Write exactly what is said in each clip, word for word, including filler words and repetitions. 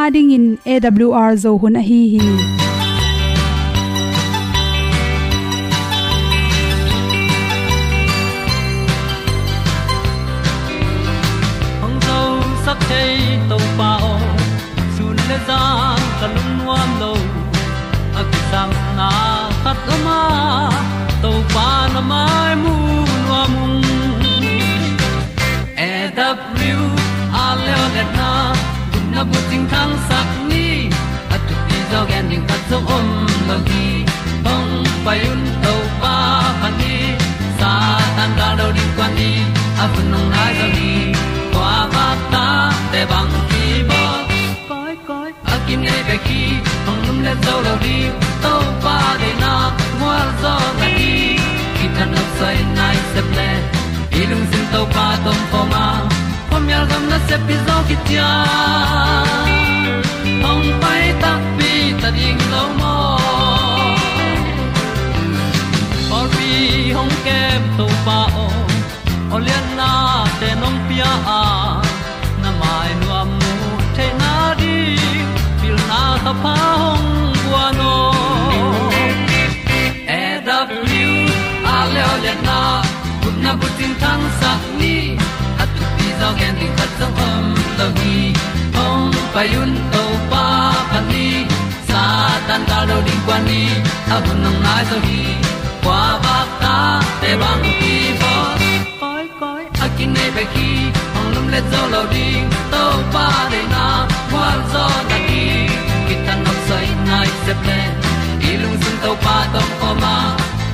Adingin A W R Zo hun ahi hi. Hong zosak thei Topa aw, sun le zan ka lungnuam lo. A kisangna khat om a, Topa na mai mu nuam ung. A W R leo le na, gupna bu cingthangsak ni. A thupi zaw gen ding khat zong om lo hi. Hong pai un Topa phat ni. Satan gal do ding kuan ni. A hun hong nai zaw hi. Kua vak ta te bang ki bawl. Koi koi a kinei bek hi. Hong lum le zo lo ding Topa deihna gualzawhna hi. Kithat nopsai nai sep le i lungsim Topa tawh om khawm a, khuamial gam nasep hi zaw hi ciang. Hong pai takpi ta ding lo maw? Pawlpi hong kem Topa aw, aw lianna te nong pia a, na mai nuam mu theihna ding pilna thapha hong guan aw. A W R leo lianna, gupna bu cingthangsak ni. A thupi zaw gen ding khat zong om lo hi. Hong pai un Topa phat ni. Satan gal do ding kuan ni. A hun hong nai zaw hi. Kua vak ta te bang ki bawl. Koi koi a kinei bek hi. Hong lum le zo lo ding Topa deihna gualzawhna hi. Kithat nopsai nai sep le i lungsim Topa tawh om khawm a,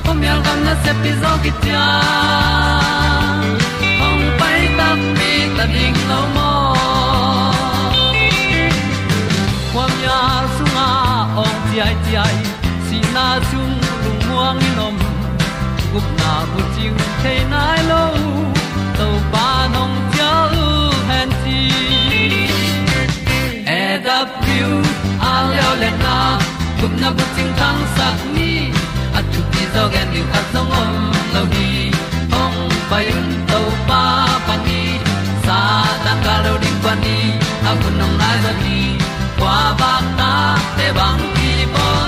khuamial gam nasep hi zaw hi ciang. Hong pai takpi ta ding lo maw? Khuamial sungah awng ciaiciai, sihna sung lungmuang in om, gupna bu cing thei nai lo, Topa nong cial hen ci. A W R leo lianna, gupna bu cingthangsak ni. A thupi zaw gen ding khat zong om lo hi. Hong pai un Topa phat ni. Satan gal do ding kuan ni. A hun hong nai zaw hi. Kua vak ta te bang ki bawl.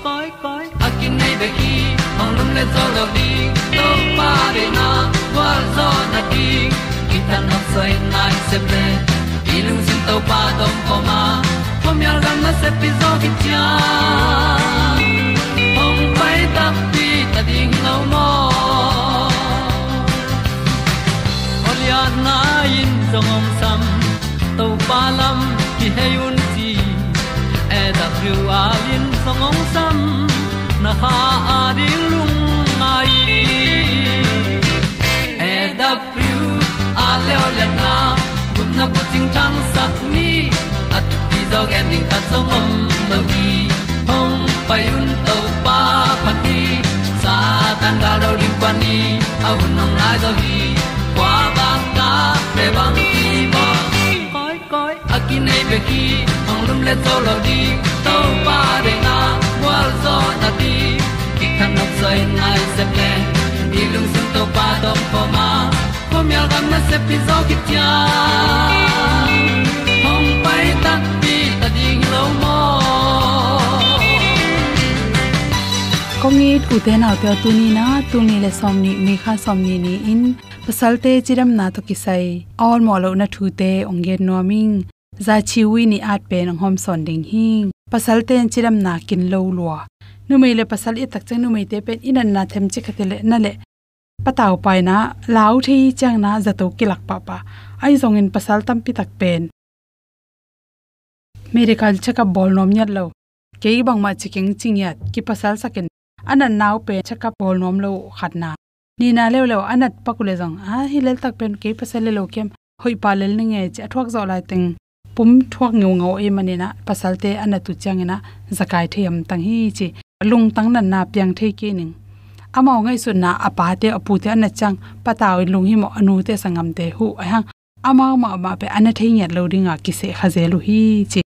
Koi koi a kinei bek hi. Hong lum le zo lo ding Topa deihna gualzawhna ding. Kithat nopsai nai sep le i lungsim Topa tawh om khawm a, khuamial gam nasep hi zaw hi ciang. Hong pai takpi ta ding lo maw? Aw lianna in zong hong sam, Topa lam kihei un ci. A W R in zong hong sam, na kha a ding lungngai. A W R leo lianna, gupna bu cingthangsak ni. A thupi zaw gen ding khat zong om lo hi. Hong pai un Topa phat ni. Satan gal do ding kuan ni. A hun hong nai zaw hi. Kua vak ta te bang ki bawl. Koi koi a kinei bek hi. Hong lum le zo lo ding Topa deihna gualzawhna ding. Kithat nopsai nai sep le i lungsim Topa tawh om khawm a, khuamial gam nasep hi zaw hi ciang. Hong pai takpi ta ding lo maw? Kong it ute naute aw, tuni-in ah, tul nih le sawmnih, May kha sawmnih ni-in pasalte cidamna tawh kisai a awlmawh lohna thute hong gen nuam ing. Za Chiu Wi nih at pen hong hawmsawn ding hi. Pasalte in cidamna kin lo lua. Numei le pasal i et tak ciang numeite pen i natna themcik khat hi leh na leh patau paina lau thei ciangin ah zato kilak pahpah. Ahi zongin pasal tampi tak pen medical check-up bawl nuam ngiat lo. Kei bangmah ci keng ci ngiat, kipasalsakin a natna uh pen check-up bawl nuam lo uh khatna. Nihna leuleu a nat pak uh leh zong, a hi lel tak pen kei pasal lel lo kiam, hoih pah lel ning e ci a thuak zawh laiteng pum thuak ngeungau ahih manin ah pasalte a nat uh ciangin ah zakai thei hamtang hi ci. Lungtang natna piang thei kei ning. Amau ngaihsutna a pate a pute a nat ciang patau in lunghimawh, a nute sangamte huh, ahi hang amau mahmah pen a na thei ngiat lo dinga kiseh kha zel uh hi ci.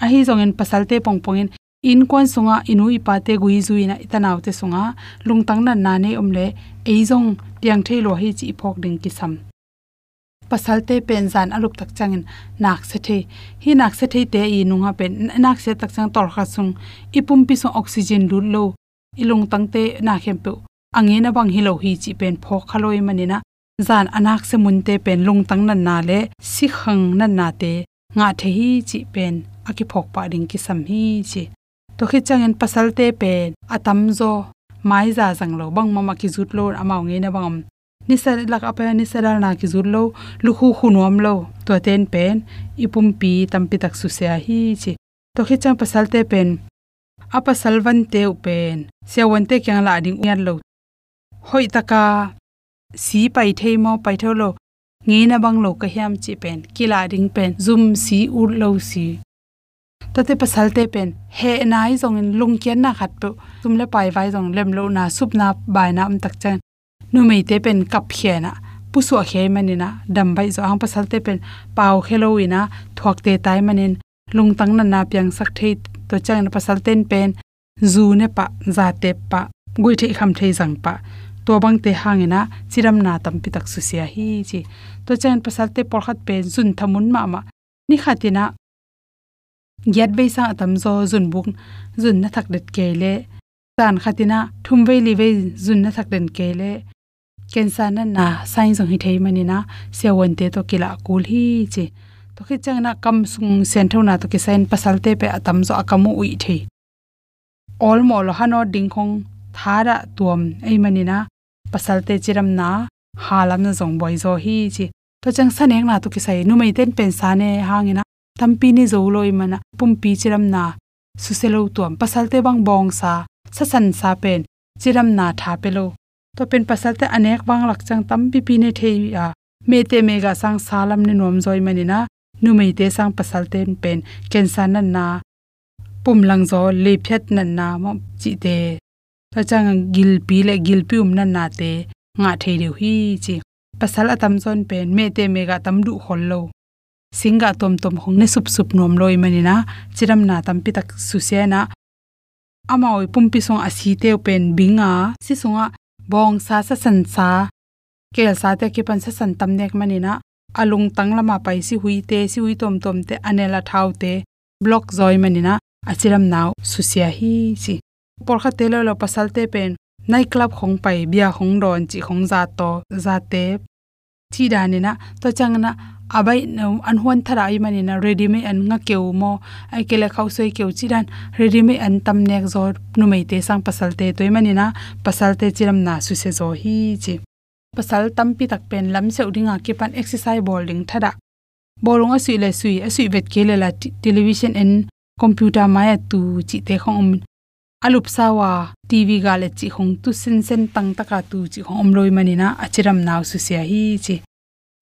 Ahi zongin pasalte pongpongin i innkuan sungah i nu i pate gui zui-in ah i tanaute sungah lungtang natna nei om leh ei zong piang thei lua hi ci i phawk ding kisam. pasalte pen zan a lup tak ciangin naksia thei. Hih naksia theite i nungah pen naksia tak ciang tawlkhat sung i pumpi sung oxygen lut lo, i lungtangte na khempeuh a ngeina bang hi lo hi cih pen phawk kha lo ahih manin ah, zan a naksia munte pen lungtang natna le sikhang natnate ngah thei hi cih pen a kiphawk pah ding kisam hi ci. Tua khit ciangin pasalte pen a tamzaw maiza zang lo, bangmah mah kizut lo, amau ngeina bang om. Nisa lak a pai nisa dalna kizut lo, lukhu khu nuam lo, tuate in pen i pumpi tampi tak susia hi ci. Tua khit ciang pasalte pen a pasal vante uh pen siavuante kiang lah ding uh ngiat lo. Hoih taka si pai thei maw, pai thei lo, ngeina bang lo ka hiam cih pen kilah ding pen zum si, ut lo si. Tuate pasalte pen hehna hi zongin lungkiatna khatpeuh, sum le pai vai zong lem lohna, supna baina om tak ciang numeite pen kapkhia in ah pusuahkhia ahih manin ah dam baih zaw. Ahang pasalte pen paukhia lo in ah thuakte tai manin lungtang natna piangsak thei. Tua ciangin pasalte in pen zu ne pah, za tep pah, guih theih kham thei zang pah, tua bangte hangin ah cidamna tampi tak susia hi ci. Tua ciangin pasalte pawlkhat pen zun thamun mahmah, ni khat in ah giat vei sang a tamzaw zun buk, zun na thak den kei leh, zan khat in ah thum vei li vei zun na thak den kei leh cancer natna sign zong hi thei manin ah siavuante tawh kilah kul hi ci. Tua khit ciangin ah kam sung sianthona tawh kisai in pasalte pen a tamzaw a kam uh uih thei, awlmawh lo, hanawt ding khong thadah tuam ahih manin ah pasalte cidamna halamna zong buai zaw hi ci. Tua ciang sanekna tawh kisai, numeite in pen sa ne hangin ah tampi ne zo lo ahih manin ah pumpi cidamna susia lo tuam. Pasalte bang bawngsa, sasansa pen cidamna tha pia lo. Tua pen pasalte a nek vang lak ciang tampipi ne thei a, mehteh mehgah sang sa lam ne nuam zaw ahih manin ah numeite sang pasalte in pen cancer natna, pumlangzaw, leiphiat natna maw cihte, tua ciang gilpi le gilpi um natnate ngah thei deuh hi ci. Pasal a tamzaw in pen mehteh mehgah tam duh khol lo, singgah tuamtuam khong ne supsup nuam lo ahih manin ah cidamna tampi tak susia in ah, amau i pumpi sungah a site uh pen bing a, si sungah bawngsa, sasansa, kelsate a kipan sasan tam nek manin ah a lungtang lamah pai sihuite, sihui tuamtuamte, a nel a thaute block zaw ahih manin ah a cidamna uh susia hi ci. Pawlkhatte lo lo pasalte pen night club khong pai, bia khong dawn cih khong, za taw, za tep cih dan in ah, tua ciangin ah a baih, an huan thadah ahih manin ah ready-made an, ngakeu maw, ahih kei leh khauhsuai keu cih dan ready-made an tam nek zaw numeite sang pasalte. Tua ahih manin ah pasalte cidamna susia zaw hi ci. Pasal tampi tak pen lamsiauh ding a kipan exercise bawl ding thadah. Bawlung a suih le sui, a suih vet kei le la ti-, television en, computer mai-ah tu cihte khong om. A lupsa uh a TV gah le cih khong tu sinsen tangtaka tu cih khong om lo ahih manin ah a cidamna uh susia hi ci.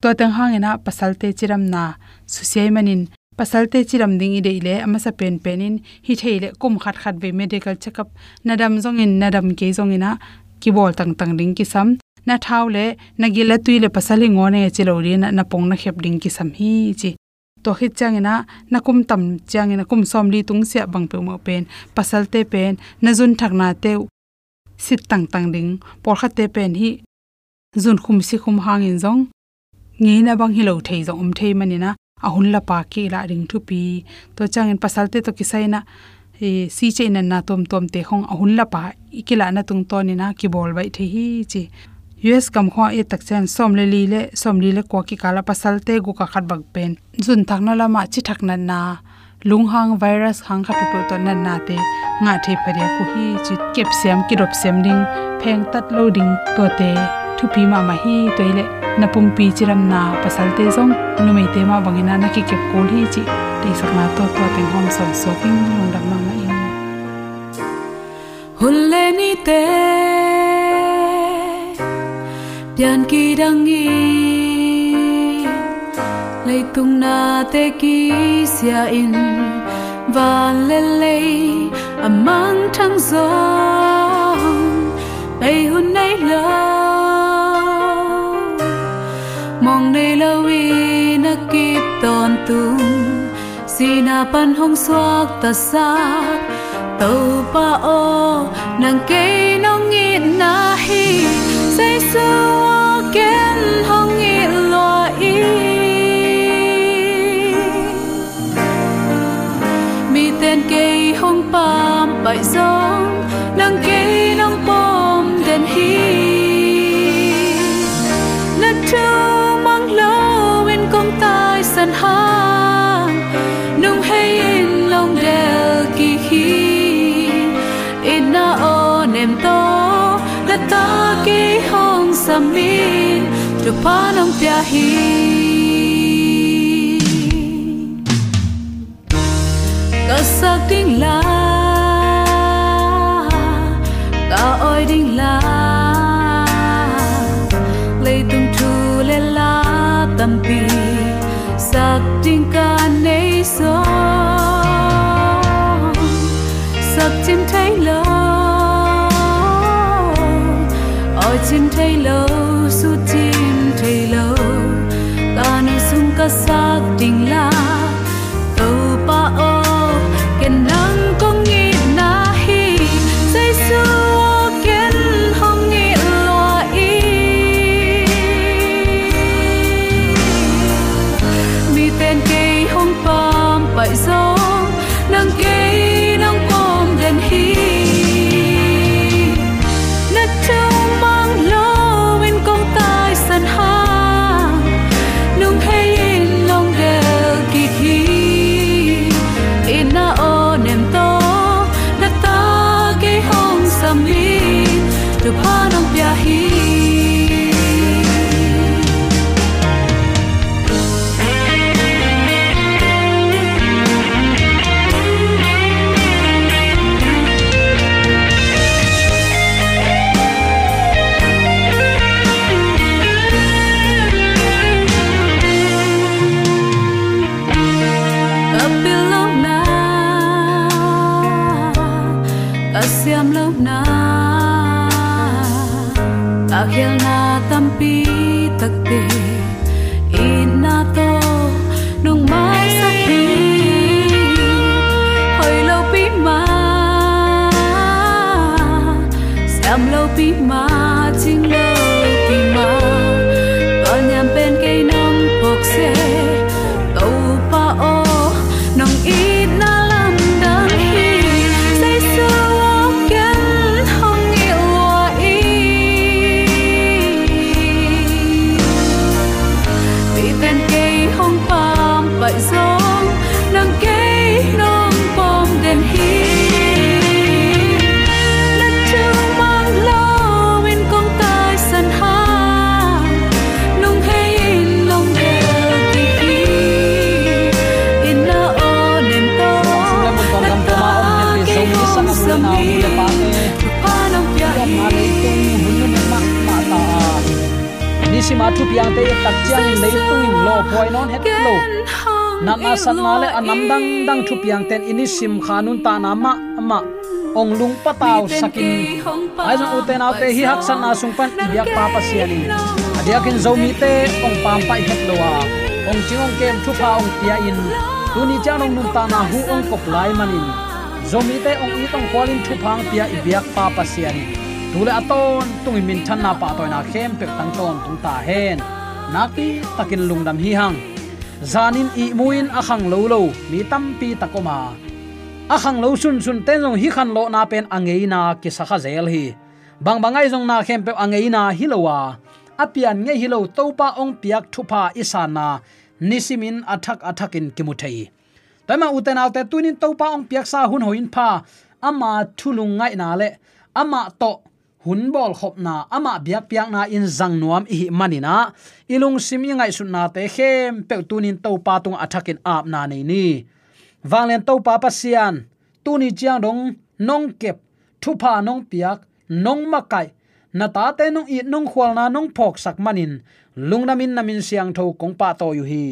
Tua teng hangin ah pasalte cidamna susia ahih manin, pasalte cidam ding i deih leh a masa penpen in hi thei leh kum khat khat vei medical check-up, na dam zongin na dam kei zongin ah kibawl tangtang ding kisam. Na thau le na gil a tui le pasal hi ngawn e ci lo dingin ah na pong na khep ding kisam hi ci. Tua khit ciangin ah na kum tam ciangin ah kum sawmli tungsiah bang peuhmah pen pasalte pen na zunthaknate uh sit tangtang ding. Pawlkhatte pen hih zunkhum sikhum hangin zong ngeina bang hi lo thei zong om thei manin ah a hun lapa kilah ding thupi. Tua ciangin pasalte tawh kisai in ah, eh, si ceih natna tuamtuamte khong a hun lapa i kilahna tungtawnin ah kibawl baih thei hi ci. U S gam khong ah i et tak ciang sawm le li le sawmli le kua kikal ah pasalte guk ah khat bang pen zunthakna lamah cithak natna, lunghang virus hang khat peuhpeuh tawh natnate ngah thei phadiak uh hi ci. Kepsiam, kidopsiam ding, phengtat lo ding, tuate thupi mahmah hi. Tua hi leh na pumpi cidamna pasalte zong numeite mah bangin ah na kikep kul hi cih deihsakna tawh tua teng hong sawnsuak ing. Lungdam mahmah ing. Hun le nite pian kidang in, leitung nate kisia in, van le lei a mangthang zong bei hun nei lo, mawng nei lo in a kip tawntung, sihna pan hong suaktasak. Topa aw, nang kei nong itna hi, Jesu aw, ken hong it lua in. Zong nang kei nong pom den hi. Na thu mang lo in kong taisan hang, nung hei in long del kik hi. Itna aw nem tawh na ta kei hong sam in, thupha nong pia hi. Ka sak ding la, ka awi ding la, leitung thu le la tampi sak ding ka nei zong, sak cin thei lo, awi cin thei lo, su cin thei lo, ka nu sung ka sak ding la. Topa aw, ken nang kong itna hi. Jesu aw, ken hong it lua in. Miten kei hong pampaih zong, nang kei nong pom den hi. Na thu mang lo in kong taisan hang, nung hei in long del kik hi. Itna aw nem tawh na ta kei hong sam in, thupha nong pia hi. Ka pil lohna, ka siam lohna, ka khialna tampi takte, itna tawh nong maisak hi. Hoih lopi mah, siam lopi mah, cing lopi mah, ka niam pen kei nong phawk se. Topa aw, nong itna lamdang hi. Jesu aw, ken hong it lua in. Miten kei hong pampaih zong, nang kei nong pom den hi. Na thu mang lo in kong taisan hang, nung hei in long del kik hi. Itna aw nem tawh na ta kei hong sam in, thupha nong pia hi. Nisim a thupiangte i tak ciangin leitung in lawphuai nawn het lo. Natna satna le a nam dangdang thupiangte in i nisim kha nuntakna mahmah hong lungpatausak in. Ahi zong ute naute, hih haksatna sung pan i biakpa Pasian in a diakin Zomite hong pampaih het lo a, hong cing hong kem thupha hong pia in, tuni ciang dong nuntakna hu hong kop lai manin Zomite hong it hong khualin thupha hong pia i biakpa Pasian in tu le a tawntungin minthanna pahtawina khempeuh tang tawntung ta hen. Nakpi takin lungdam hi hang. Zanin ihmu in a khanglo lo mi tampi tak om a, a khanglo sunsunte in zong hih khanlawhna pen a ngeina kisa kha zel hi. Bangbang ahi zong na khempeuh a ngeina hi lo a, a pian ngei hi lo Topa hong piak thupha i sanna nisimin a thak a thakin kimu thei hi. Tua hi mah ute naute, tunin Topa hong piaksa hun hoih in pha, ama thu lungngaihna le amah tawh hun bawlkhopna, amah biakpiakna in zang nuam i hih manin ah, i lungsim i ngaihsutnate khempeuh tunin Topa tungah a thakin apna nei ni. Vanglian Topa Pasian, tuni ciang dong nong kep, thupha nong piak, nong makaih, na tate nong it, nong khualna nong phawksak manin lungdamin na min siangtho kong pahtawi uh hi.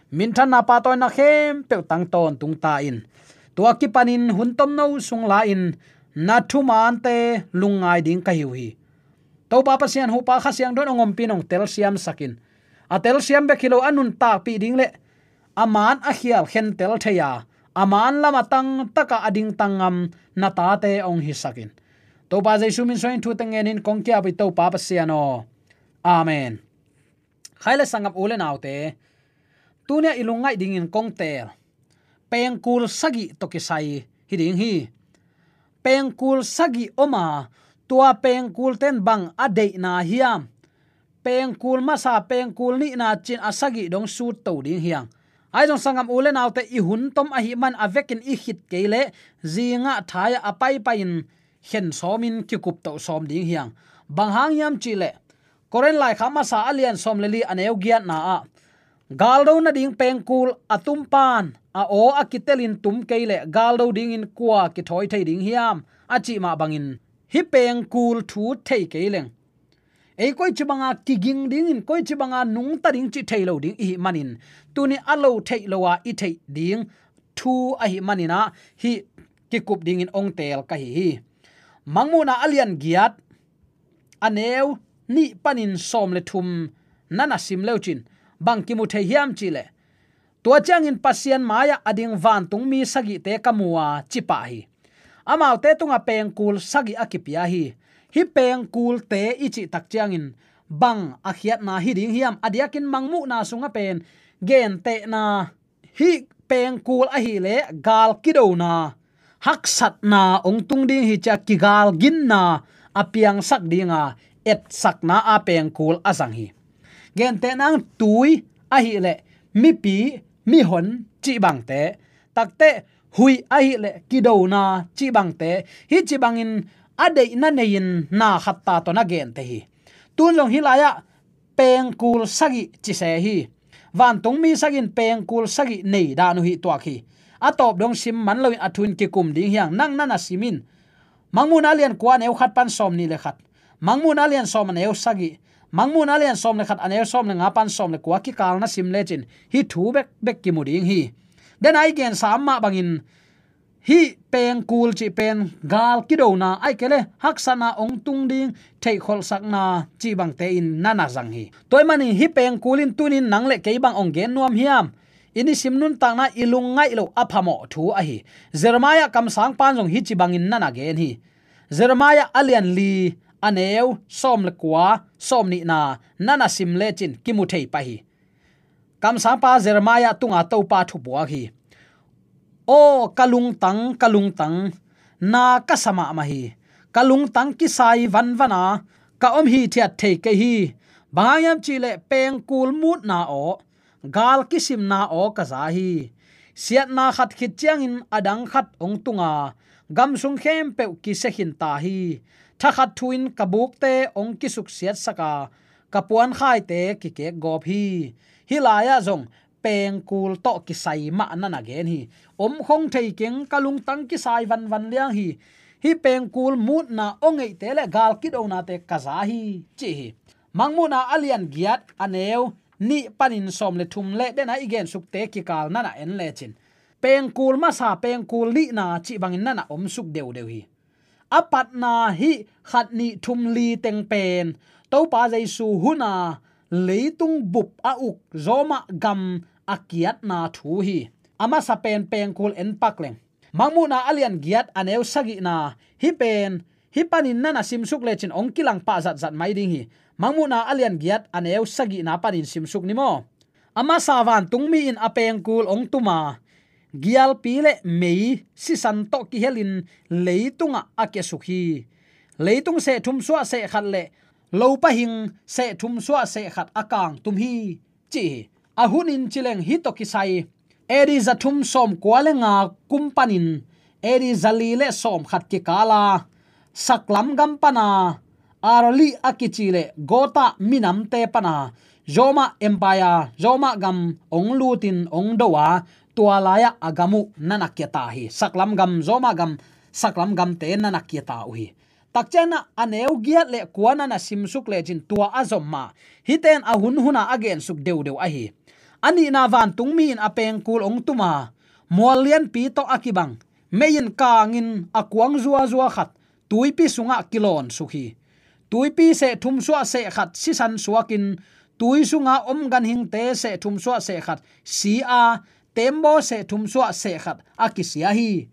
Minthanna pahtawina khempeuh tang tawntung ta in, tua kipanin hun tomno sung la-in na thumaante lungngai ding ka hi uh hi. Topa Pasian, huhpa Kha Siangtho in hong ompih in hong telsiamsak in, a telsiam bek hi lo, a nuntakpih ding le a maan a khial khentel thei a, a maan lam a tangtaka a dingtang ngam na tate hong hisak in. Topa Jesu min suangin thu teng ngenin kong ki-ap uh hi Topa Pasian aw. Amen. Khai le sangap u le naute, tuni-ah i lungngaih dingin kong teel pengkul sagih tawh kisai hi ding hi. pengkul sagih om a, tua pengkul ten bang a deihna hiam? Pengkul masa, pengkul nihna cin a sagih dong sut to ding hiang. Ahi zong sanggam u le naute, i hun tom ahih man a vekin i khit kei leh zingah thai-ah a paipai-in khen sawmin kikup toh sawm ding hiang. Bang hang hiam cih leh Korin laikhak masa a lian sawm le li a neu giatna ah, galdo nading pengkul a tum pan a aw a kitelin tum kei leh galdo dingin kua kithawi thei ding hiam, a cih mah bangin hih pengkul thu thei kei leng, ei koici banga kiging dingin, koici banga nungta ding cih thei lo ding i hih manin, tuni a lo theih lo a i theih ding thu ahih manin ah hih kikup dingin ong teel ka hi hi. Mangmuhna a lian giat a neu nih panin sawm le thum na na sim leucin bang kimu thei hiam cih leh, tua ciangin Pasian mai-ah a ding vantungmi sagihte ka mu a, ci pah hi. Amaute tungah pengkul sagih a kipia hi. Hih pengkulte i cih tak ciangin bang a khiatna hi ding hiam? A diakin Mangmuhna sungah pen gentehna, hih pengkul ahih leh gal kidona, haksatna ong tung ding hi ci-a kigalginna a piangsak dinga etsakna a pengkul a zang hi. Gentehna-in tui ahih leh mipi, mihon cih bangte, takteh huih ahih leh kidona cih bangte, hih ci bangin a deihna nei-in na khat ta tawh na gente hi. Tun zong hih lai-ah pengkul sagih ci se hi. Vantungmi sagih in pengkul sagih nei dan uh hih tuak hi. A tawp dong sim man loin a thu-in kikum ding hiang, nang na na sim in. Mangmuhna lian kua a neu khat pan sawm nih le khat, Mangmuhna lian sawm a neu sagih, Mangmuhna lian sawm le khat a neu sawm le nga pan sawm le kua kikal na sim lecin hih thu bekbek kimu ding hi. Dena i gensa mah bangin hih pengkul cih pen gal kidona, ahih kei leh haksatna ong tung ding theihkholhsakna cih bangte in na na zang hi. Tua ahih manin hih pengkul in tunin nang le kei bang ong gen nuam hiam? I nisim nuntakna i lungngaih loh a phamawh thu ahi. Jeremiah kamsangpa'n zong hih ci bangin na na gen hi. Jeremiah a lian li a neu sawm le kua, sawm nihna na na sim lecin kimu thei pah hi. Kamsangpa Jeremiah tunga Topa thupuak hi. Aw ka lungtang, ka lungtang, na ka sa mahmah hi. Ka lungtang kisai vanvan a, ka om hithiat thei kei hi. Bang hang hiam cih leh pengkul mutna aw, gal kisimna aw ka za hi. Siatna khat khit ciangin a dang khat ong tung a, gam sung khempeuh kisia khin ta hi. Thakhat thu-in ka bukte ong kisuksiatsak a, ka puankhaite kikekgawp hi. Hih lai-ah zong pengkul tawh kisai mah na na gen hi. Om khong thei keng, ka lungtang kisai vanvan liang hi. Hih pengkul mutna aw ngeihte le gal kidonate ka za hi, ci hi. Mangmuhna a lian giat a neu nih panin sawm le thum le dena i gensukte kikal na na en lecin, pengkul masa, pengkul nihna cih bangin na na omsuk deudeu hi. A patna hih khat nih thum li teng pen Topa Jesu huna leitung bup a uk Roma gam a kiatna thu hi. A masa pen pengkul en pak leng. Mangmuhna a lian giat a neu sagihna, hih pen, hih panin na na simsuk lecin ong kilang pah zatzat mai ding hi. Mangmuhna a lian giat a neu sagihna panin simsuk ni maw. A masa vantungmi in a pengkul ong tum a, gialpi le mei sisan tawh kihelin leitungah a kiasuk hi. Leitung seh thum suah seh khat le lopa hing seh thum suah seh khat a kangtum hi, ci hi. A hunin ci leng hih tawh kisai A D za thum sawm kua le nga kum panin A D za li le sawm khat kikal a, saklam gam pana Arali a kici le Gota minamte pana Roma Empire, Roma gam ong lutin ong do a, tua lai-ah a gam uh na na kia ta hi. Saklam gam, Roma gam, saklam gamte na na kia ta uh hi. Takcianah a neu giat le kua na na simsuk lecin tua a zom mah. Hihte in a hun huna a gensuk deudeu ahi. A nihna vantungmi in a pengkul ong tum a, mual lianpi tawh a kibang, mei in kangin a kuang zuazua khat tuipi sungah kilawn suk hi. Tuipi seh thum suah seh khat sisan suakin, tui sunga om ganhingte seh thum suah seh khat si a, tembaw seh thum suah seh khat a kisia hi.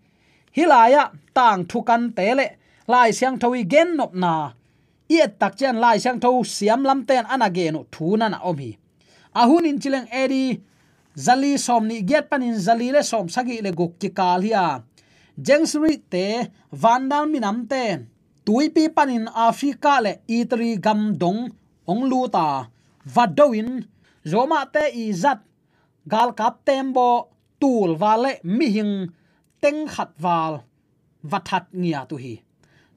Hih lai-ah tangthu kante le Lai Siangtho i gennopna i et takcian Lai Siangtho siam lamte in a na gen uh thu na na om hi. A hunin ci leng A D za li sawm nih giat panin za li le sawm sagih le guk kikal hi a, Gennesaret-te Vandal minamte tuipi panin Africa le Italy gam dong hong lut a, va do in Roma-te i zat galkap tembaw tul val le mihing teng khat val va that ngiat uh hi.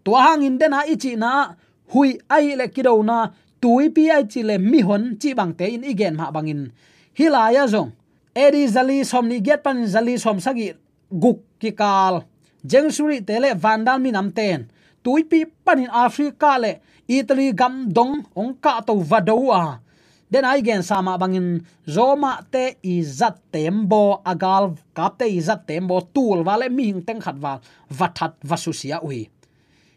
Tua hangin dena i cihna huih ahih le kidona, tuipi ahih cih le mihon cih bangte in i gen mah bangin, hih lai-ah zong A D zali sawm nih giat panin zali sawm sagih guk kikal Gennesaret-te le Vandal minamten tuipi panin Africa le Italy gam dong hong kahto va do uh a, dena i gensa mah bangin Roma-te i zat tembaw, a galkapte i zat tembaw tul val le mihing teng khat val va that, va susia uh hi.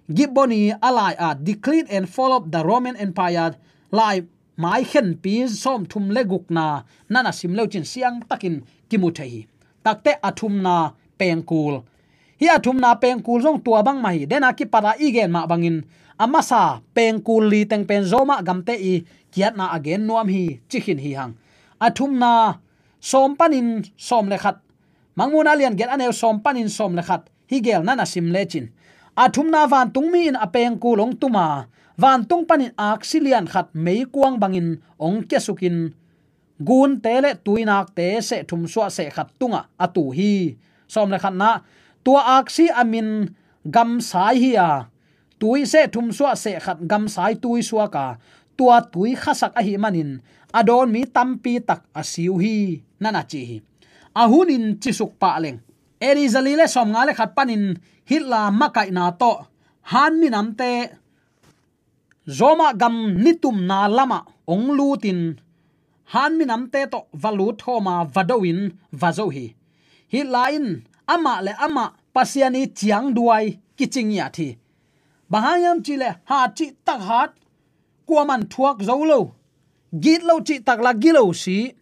Gibbon i a lai-a Decline and Fall of the Roman Empire lai mai khenpi sawmthum le gukna na na sim leucin siangtakin kimu thei hi. Takte a thumna pengkul. Hih a thumna pengkul zong tua bang mah hi. Dena kipata i gen mah bangin a masa pengkul li teng pen Roma gamte i kiatna a gen nuam hi ci khin hi hang. A thumna sawm panin sawm le khat, Mangmuhna lian giat a neu sawm panin sawm le khat hih gel na na sim lecin, a thumna vantungmi in a pengkul hong tum a, vantung panin aksi lian khat meikuang bangin hong kiasukin gunte le tuinakte seh thum suah seh khat tungah a tu hi. Sawm le khatna, tua aksi a min Gamsai hi a, tui seh thum suah seh khat Gamsai tui suak a, tua tui khasak ahih manin a dawn mi tampi tak a si uh hi, na na ci hi. A hunin cisuk pah leng, A D zali le sawmnga le khat panin Hitler makaihna tawh Han minamte Roma gam nitumna lamah hong lutin, Han minamte tawh va lut khawma va do in va zo hi. Hitler in amah le amah Pasian i ciangduai kici ngiat hi. Bang hang hiam cih leh hat cih tak hat, kuaman thuak zo lo, git lo cih tak la gilo si,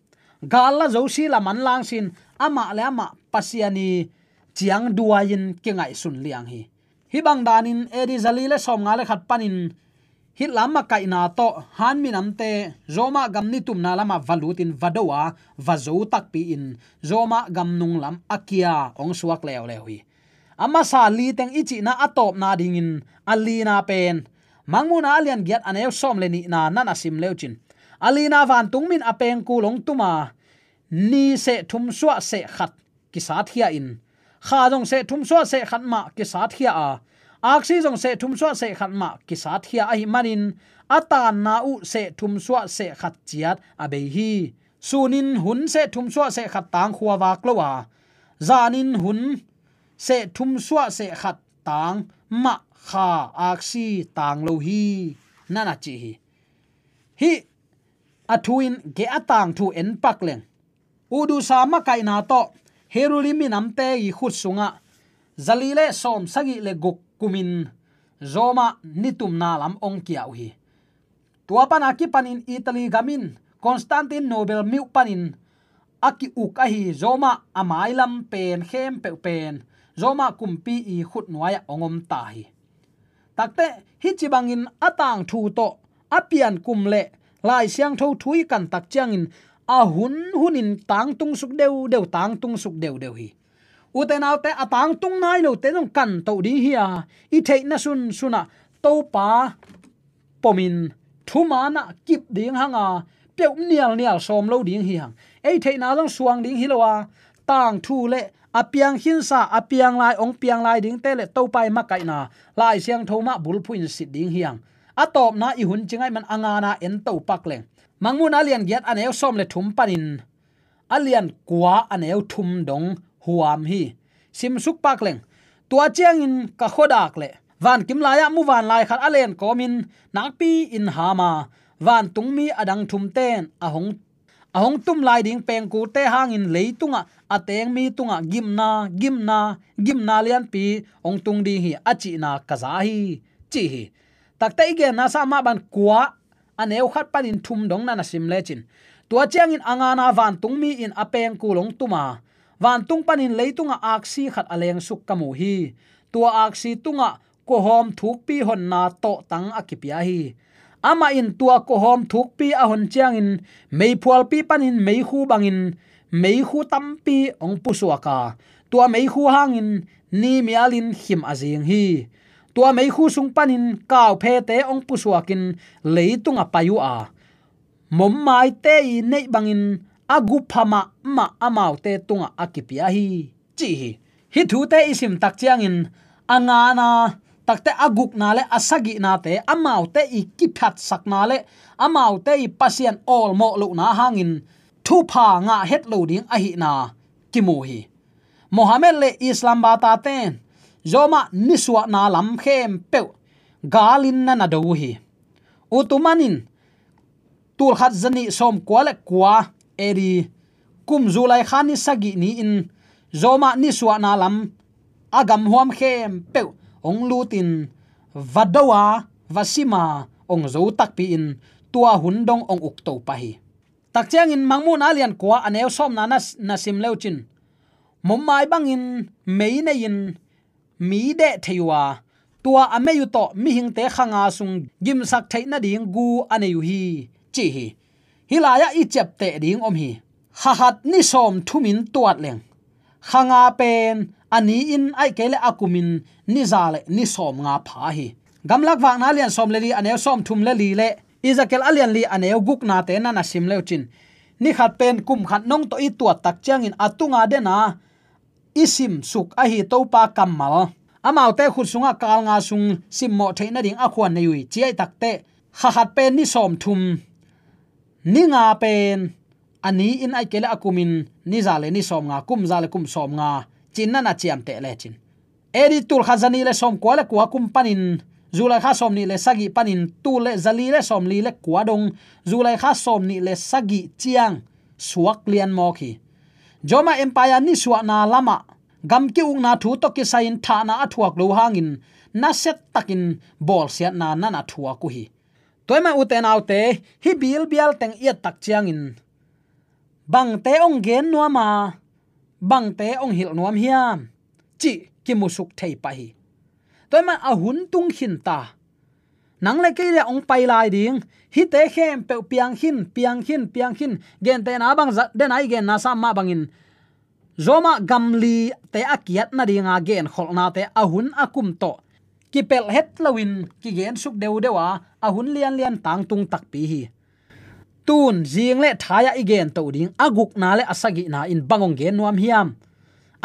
gal la zo si, la manlang sin, amah le amah Pasian i ciangduai-in kingaihsun liang hi. Hih bang danin A D zali le sawmnga le khat panin Hitler makaihna tawh Han minamte Roma gam nitumna lamah va lutin va do a, va zo takpi-in Roma gam nunglam a kia hong suak leuleu hi. A masa li teng i cihna a tawpna dingin a lina pen, Mangmuhna a lian giat a neu sawm le nihna na na sim leucin, a lina vantungmi in a pengkul hong tum a, ni seh thum suah seh khat kisatkhia in, kha zong seh thum suah seh khat mah kisatkhia a, aksi zong seh thum suah seh khat mah kisatkhia ahih manin a tanna uh seh thum suah seh khat ciat a bei hi. Sunin hun seh thum suah seh khat tang khua vak lo a, zanin hun seh thum suah seh khat tang mah kha aksi tang lo hi, na na ci hi. Hih a thu in geh a tangthu en pak leng, Udusa makaihna tawh Heruli minamte i khut sungah zali le sawm sagih le guk kumin Roma nitumna lam hong kia uh hi. Tua pana kipanin Italy gam in Constantinople miuh panin a ki-uk ahi Roma a mailam pen khempeuh pen Roma kumpi i khutnuai-ah hong om ta hi. Takte hih ci bangin a tangthu tawh a piankum le Lai Siangtho thu i kan tak ciangin a hun hunin tangtung suk deudeu, tangtung suk deudeu hi. Ute naute, a tangtung nai lote zong kan toh ding hi a, i theihna sunsunah Topa pomin thumanah kip ding hang a, peuh nialnial sawm lo ding hi hang. Ei theihna zong suang ding hi lo a, tangthu le a piang khinsa, a piang lai, hong piang lai dingte le Topa i makaihna Lai Siangtho mah bulphuh in sit ding hi hang. A tawpna i hun ci ngaih man a ngana en to pak leng, Mangmuhna lian giat a neu sawm le thum panin a lian kua a neu thum dong huam hi. Simsuk pak leng, tua ciangin ka khuadak le vankim lai-ah muvanlai khat a len kawmin nakpi-in ham a, vantungmi a dang thumten a hong, a hong tum lai ding pengkulte hangin leitungah a teng mi tungah gimna, gimna, gimna lianpi hong tung ding hi, a cihna ka za hi, ci hi. Takte i genna sa mah bang kua a neu khat panin thum dong na na sim lecin, tua ciangin a ngana vantungmi in a pengkul hong tum a, vantung panin leitungah aksi khat a lengsuk ka mu hi. Tua aksi tungah kuahawm thukpi honna tawhtang a kipia hi. Amah in tua kuahawm thukpi a hon ciangin meiphualpi panin meikhu bangin meikhu tampi hong pusuak a, tua meikhu hangin ni mialin khim a zing hi. Tua meikhu sung panin kauphete hong pusuakin leitung a pai uh a, mommaite i neih bangin a gupha mahmah amaute tungah a kipia hi, ci hi. Hih thute i sim tak ciangin a ngana takte, a gukna le a sagihnate amaute i kiphatsakna le amaute i Pasian awlmawh lohna hangin thupha ngah het lo ding ahihna kimu hi. Mohammed le Islam bataten Rome ah nisuahna lam khempeuh galin na na do uh hi. Utuman in tulkhat zanih sawmkua le kua A D kum July kha ni sagih ni-in Rome ah nisuahna lam a gamhuam khempeuh hong lutin va do a, va sim a, hong zo takpi-in tua hun dong hong ukto pah hi. Tak ciangin Mangmuhna lian kua a neu sawmna na, na sim leucin, mommai bangin mei nei-in mi deh thei uh a, tua a mei uh tawh mihingte kha nga sung gimsak theih nading gu a nei uh hi, ci hi. Hih lai-ah i ciapteh ding om hi. Kha khat ni sawmthumin tuat leng, kha nga pen a ni-in ahih kei leh a kumin ni za le ni sawmnga pha hi. Gamlak Vakna lian sawm le li a neu sawmthum le li le Ezekiel a lian li a neu guknate na na sim leucin, ni khat pen kum khat nong tawh i tuat tak ciangin a tunga dena i simsuk ahi Topa kammal, amaute khut sungah kal nga sung simmawh theih nading a khuan nei uh hi, ci ahih takteh kha khat pen ni sawmthum, ni nga pen a ni-in ahih kei leh a kumin ni za le ni sawmnga, kum za le kum sawmnga, ci-in na na ciamteh lecin, A D tulkhat zanih le sawmkua le kua kum panin July kha sawmnih le sagih panin tul le zali le sawmli le kua dong July kha sawmnih le sagih ciang suak lian mawk hi. Rome Empire nisuahna lamah gam ki-ukna thu tawh kisai-in thahna a thuak lo hangin nasia takin bawlsiatna na na thuak uh hi. Tua ahih man ute naute, hih bilbial teng i et tak ciangin bangte hong gen nuam a, bangte hong hilh nuam hiam, cih kimusuk thei pah hi. Tua ahih man a hun tung khin ta. Nang le kei le hong pai lai ding, hihte khempeuh piang khin, piang khin, piang khin, gentehna bang zat dena i genna sam mah bangin Rome gamlite a kiat nadinga genkholhnate a hun a kum tawh kipelh het loin kigensuk deudeu a, a hun lianlian tangtung takpi hi. Tun zing le thai-ah i gento ding a gukna le a sagihna in bang hong gen nuam hiam?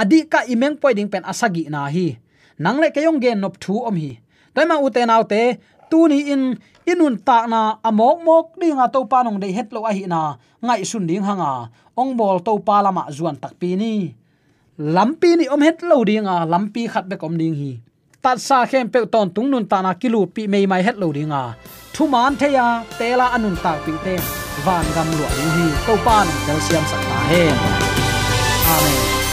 A dihkah i mengpuai ding pen a sagihna hi. Nang le kei hong gennop thu om hi. Tua ahih man ute naute, tuni-in i nuntakna a mawkmawk dinga Topa in hong deih het lo ahihna ngaihsun ding hanga hong bawl Topa lamah zuan takpi ni. Lampi nih om het lo dinga, lampi khat bek om ding hi. Tatsa khempeuh tawntung nuntakna kilutpih meimai het lo dinga, thuman thei-a tela a nuntakpihte vangam luah ding hi. Topa in hong telsiamsak ta hen. Amen.